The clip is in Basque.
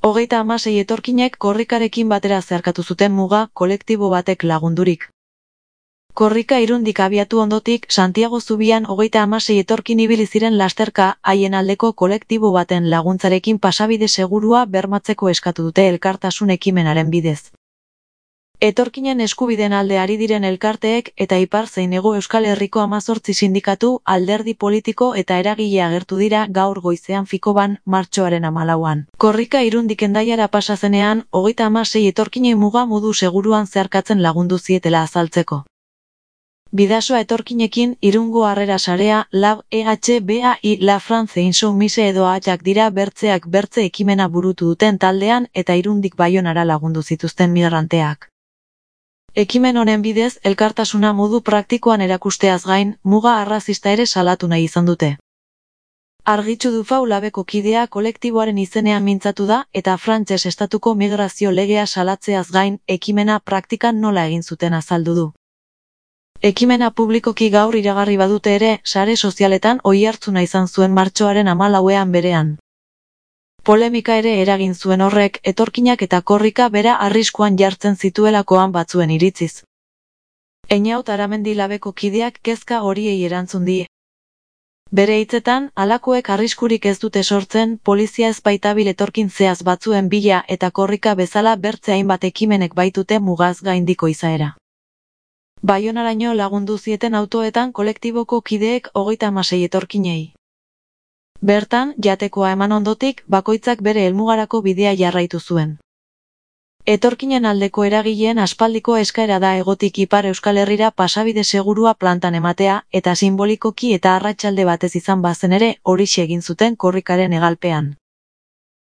36 etorkinek korrikarekin batera zeharkatu zuten muga kolektibo batek lagundurik. Korrika Irundik abiatu ondotik Santiago Zubian 36 etorkin ibili ziren lasterka haien aldeko kolektibo baten laguntzarekin pasabide segurua bermatzeko eskatu dute elkartasun ekimenaren bidez. Etorkinen eskubideen alde ari diren elkarteek eta ipar zein hego Euskal Herriko 18 sindikatu, alderdi politiko eta eragile agertu dira gaur goizean Fikoban, martxoaren 14an. Korrika Irundik Hendaiara pasa zenean, 36 etorkinei muga modu seguruan zeharkatzen lagundu zietela azaltzeko. Bidasoa etorkinekin Irungo Harrera Sarea, Lab, EHBAI, La France Insoumise edo Ahak dira bertzeak bertze ekimena burutu duten taldean eta Irundik Baionara lagundu zituzten migranteak. Ekimen honen bidez, elkartasuna modu praktikoan erakusteaz gain, muga arrazista ere salatu nahi izan dute. Argitxu Dufau Labeko kidea kolektiboaren izenean mintzatu da eta frantses estatuko migrazio legea salatzeaz gain, ekimena praktikan nola egin zuten azaldu du. Ekimena publikoki gaur iragarri badute ere, sare sozialetan oihartzuna izan zuen martxoaren 14ean berean. Polemika ere eragin zuen horrek, etorkinak eta korrika bera arriskuan jartzen zituelakoan batzuen iritziz. Einaut Aramendi Labeko kideak kezka horiei erantzun die. Bere hitzetan, halakoek arriskurik ez dute sortzen, polizia ez baitabil etorkin zehaz batzuen bila eta korrika bezala bertze hainbat ekimenek baitute mugaz gaindiko izaera. Baionaraino lagundu zieten autoetan kolektiboko kideek 36 etorkinei. Bertan, jatekoa eman ondotik, bakoitzak bere helmugarako bidea jarraitu zuen. Etorkinen aldeko eragileen aspaldiko eskaera da hegotik ipar Euskal Herrira pasabide segurua plantan ematea, eta sinbolikoki eta arratsalde batez izan bazen ere, horixe egin zuten korrikaren hegalpean.